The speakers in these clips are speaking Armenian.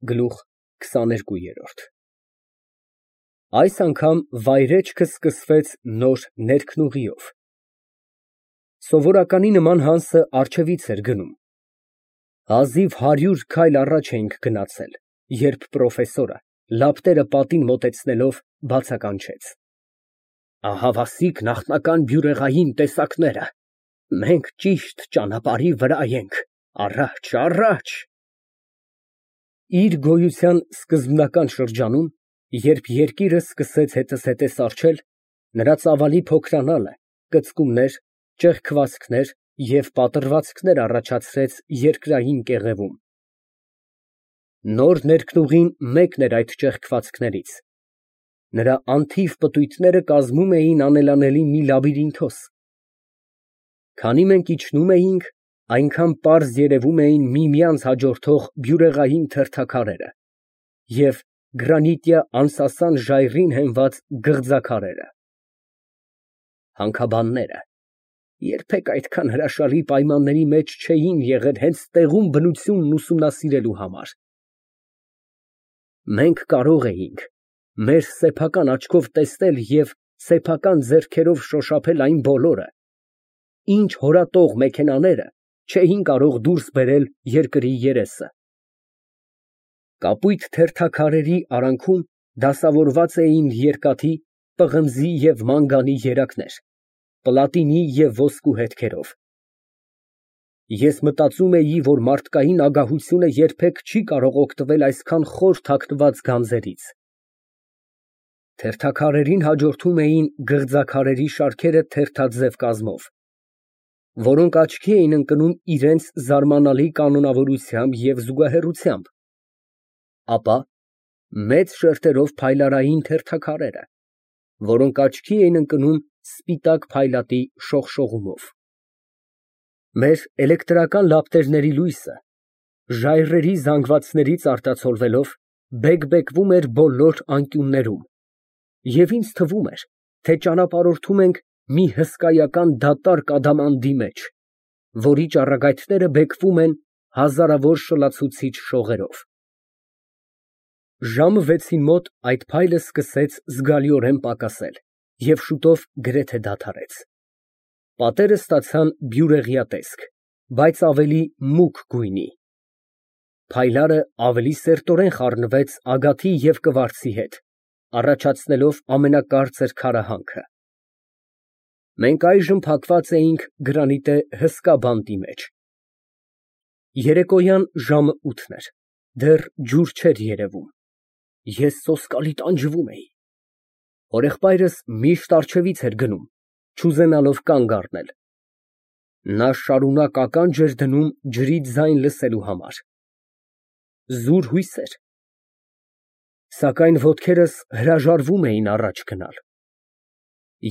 Գլուխ 22 Այս անգամ վայրէջքը սկսվեց նոր ներքնուղիով։ Սովորականի նման Հանսը առջևից էր գնում։ Հազիվ 100 քայլ առաջ էինք գնացել, երբ պրոֆեսորը, լապտերը պատին մոտեցնելով, բացականչեց. Ահավասիկ նախնական բյուրեղային տեսակները, մենք ճիշտ ճանապարհի վրա ենք, առաջ, առաջ։ Իր գոյության սկզբնական շրջանում, երբ երկիրը սկսեց հետզհետե սառչել, նրա ծավալի փոքրանալը կծկումներ, ճեղքվածքներ և պատռվածքներ առաջացրեց երկրային կեղևում։ Նոր ներքնուղին մեկն էր այդ ճեղքվածքներից։ Նրա անթիվ պտույտները կազմում էին անելանելի մի լաբիրինթոս։ Քանի մենք իջնում էինք, այնքան պարզ երևում էին միմյանց հաջորդող բյուրեղային թերթաքարերը և գրանիտյա անսասան ժայռին հենված գղձաքարերը։ Հանքաբանները երբեք այդքան հրաշալի պայմանների մեջ չէին եղել հենց տեղում բնությունն ուսումնասիրելու համար։ Մենք կարող էինք մեր սեփական աչքով տեսնել և սեփական ձեռքերով շոշափել այն բոլորը, ինչ հորատող մեքենաները չէին կարող դուրս բերել երկրի երեսը։ Կապույտ թերթաքարերի արանքում դասավորված էին երկաթի, պղնձի և մանգանի երակներ, պլատինի և ոսկու հետքերով։ Ես մտածում էի, որ մարդկային ագահությունը երբեք չի կարող օգտվել այսքան խոր թաքնված գանձերից։ Թերթաքարերին հաջորդում էին գղձաքարերի շարքերը թերթաձև կազմով, որոնք աչքի էին ընկնում իրենց զարմանալի կանոնավորությամբ և զուգահեռությամբ, ապա մեծ շերտերով փայլարային թերթաքարերը, որոնք աչքի էին ընկնում սպիտակ փայլատի շողշողումով։ Մեր էլեկտրական լապտերների լույսը, ժայռերի զանգվածներից արտացոլվելով, բեկբեկվում էր բոլոր անկյուններում, և ինձ թվում էր, թե ճանապարհորդում ենք մի հսկայական դատարկ ադամանդի մեջ, որի ճառագայթները բեկվում են հազարավոր շլացուցիչ շողերով։ Ժամը 6-ին մոտ այդ փայլը սկսեց զգալիորեն պակասել և շուտով գրեթե դադարեց։ Պատերը ստացան բյուրեղյա տեսք, բայց ավելի մուգ գույնի։ Փայլարը ավելի սերտորեն խառնվեց ագաթի և կվարձի հետ, առաջացնելով ամենակարծր քարահանքը։ Մենք այժմ փակված էինք գրանիտե հսկա բանտի մեջ։ Երեկոյան ժամը 8-ն էր, դեռ ջուր չէր երևում։ Ես սոսկալի տանջվում էի։ Հորեղբայրս միշտ առջևից էր գնում, չուզենալով կանգ առնել։ Նա շարունակ ականջ էր դնում ջրի ձայն լսելու համար։ Զուր հույս էր, սակայն ոտքերս հրաժարվում էին առաջ գնալ։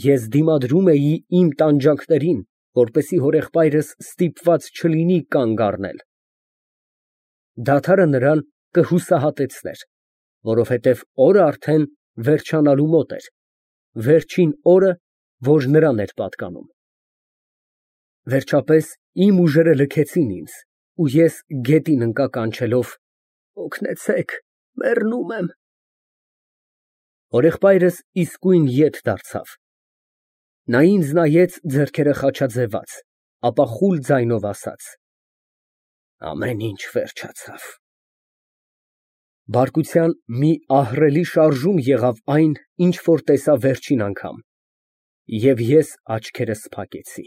Ես դիմադրում էի իմ տանջանքներին, որպեսզի հորեղբայրս ստիպված չլինի կանգ առնել։ Դադարը նրան կհուսահատեցներ, որովհետև օրը արդեն վերջանալու մոտ էր, վերջին օրը, որ նրան էր պատկանում։ Վերջապես իմ ուժերը լքեցին ինձ, ու ես գետին ընկա կանչելով. «Օգնեցեք, մեռնում եմ»։ Հորեղբայրս իսկույն ետ դարձավ։ Նա ինձ նայեց ձեռքերը խաչաձևած, ապա խուլ ձայնով ասաց. «Ամեն ինչ վերջացավ»։ Բարկության մի ահռելի շարժում եղավ այն, ինչ որ տեսա վերջին անգամ, և ես աչքերս փակեցի։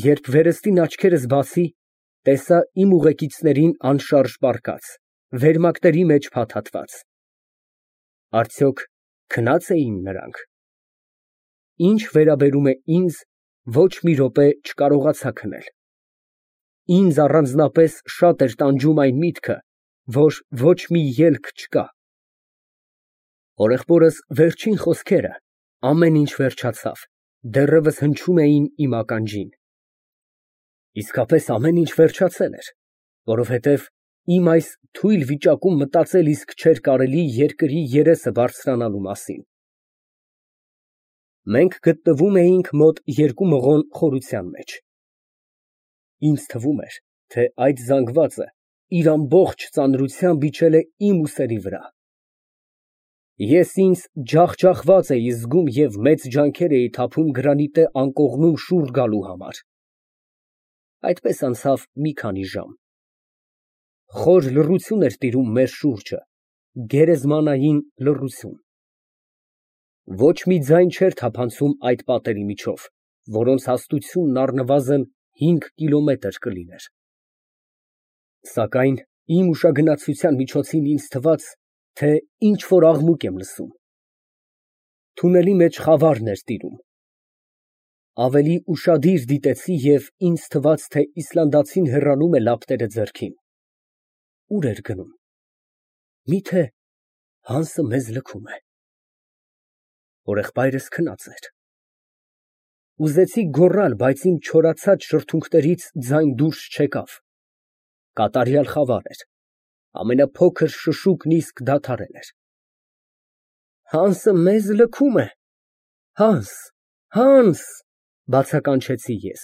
Երբ վերստին աչքերս բացի, տեսա իմ ուղեկիցներին անշարժ պառկած, վերմակների մեջ փաթաթված։ Արդյոք քնա՞ծ էին նրանք։ Ինչ վերաբերում է ինձ, ոչ մի րոպե չկարողացա քնել։ Ինձ առանձնապես շատ էր տանջում այն միտքը, որ ոչ մի ելք չկա։ Հորեղբորս վերջին խոսքերը, ամեն ինչ վերջացավ, դեռևս հնչում էին իմ ականջին։ Իսկապես ամեն ինչ վերջացել էր, որովհետև իմ այս թույլ վիճակում մտածել իսկ չէր կարելի երկրի երեսը բարձրանալու մասին։ Մենք գտնվում էինք մոտ 2 մղոն խորության մեջ։ Ինձ թվում էր, թե այդ զանգվածը իր ամբողջ ծանրությամբ իջել է իմ ուսերի վրա։ Ես ինձ ջախջախված էի զգում և մեծ ջանքեր էի թափում գրանիտե անկողնում շուռ գալու համար։ Այդպես անցավ մի քանի ժամ։ Խոր լռություն էր տիրում մեր շուրջը, գերեզմանային լռություն։ Ոչ մի ձայն չէր թափանցում այդ պատերի միջով, որոնց հաստությունն առնվազն 5 կիլոմետր կլիներ։ Սակայն իմ ուշագնացության միջոցին ինձ թվաց, թե ինչ֊որ աղմուկ եմ լսում։ Թունելի մեջ խավարն էր տիրում։ Ավելի ուշադիր դիտեցի և ինձ թվաց, թե իսլանդացին հեռանում է լապտերը ձեռքին։ Ուր էր գնում։ Միթե Հանսը մեզ լքում է։ Հորեղբայրս քնած էր։ Ուզեցի գոռալ, բայց իմ չորացած շրթունքներից ձայն դուրս չեկավ։ Կատարյալ խավար էր, ամենափոքր շշուկն իսկ դադարել էր։ Հանսը մեզ լքում է, Հանս, Հանս, բացականչեցի ես։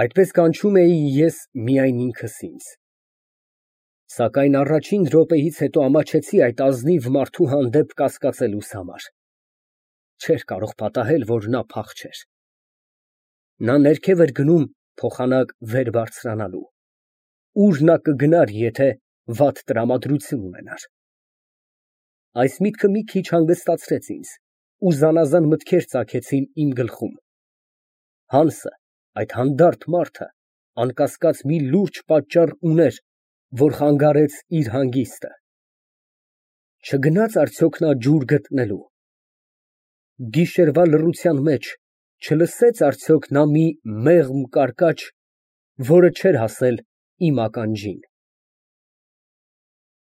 Այդպես կանչում էի ես միայն ինքս ինձ։ Սակայն առաջին րոպեից հետո ամաչեցի այդ ազնիվ մարդու հանդեպ կասկածելուս համար։ Չէր կարող պատահել, որ նա փախչեր։ Նա ներքև էր գնում փոխանակ վեր բարձրանալու։ Ուր նա կգնար, եթե վատ տրամադրություն ունենար։ Այս միտքը մի քիչ հանգստացրեց ինձ, ու զանազան մտքեր ծագեցին իմ գլխում։ Հանսը, այդ հանդարտ մարդը, անկասկած մի լուրջ պատճառ ուներ, որ խանգարեց իր հանգիստը։ Չգնաց արդյոք նա ջուր գտնելու։ Գիշերվա լռության մեջ չլսեց արդյոք նա մի մեղմ կարկաչ, որը չէր հասել իմ ականջին։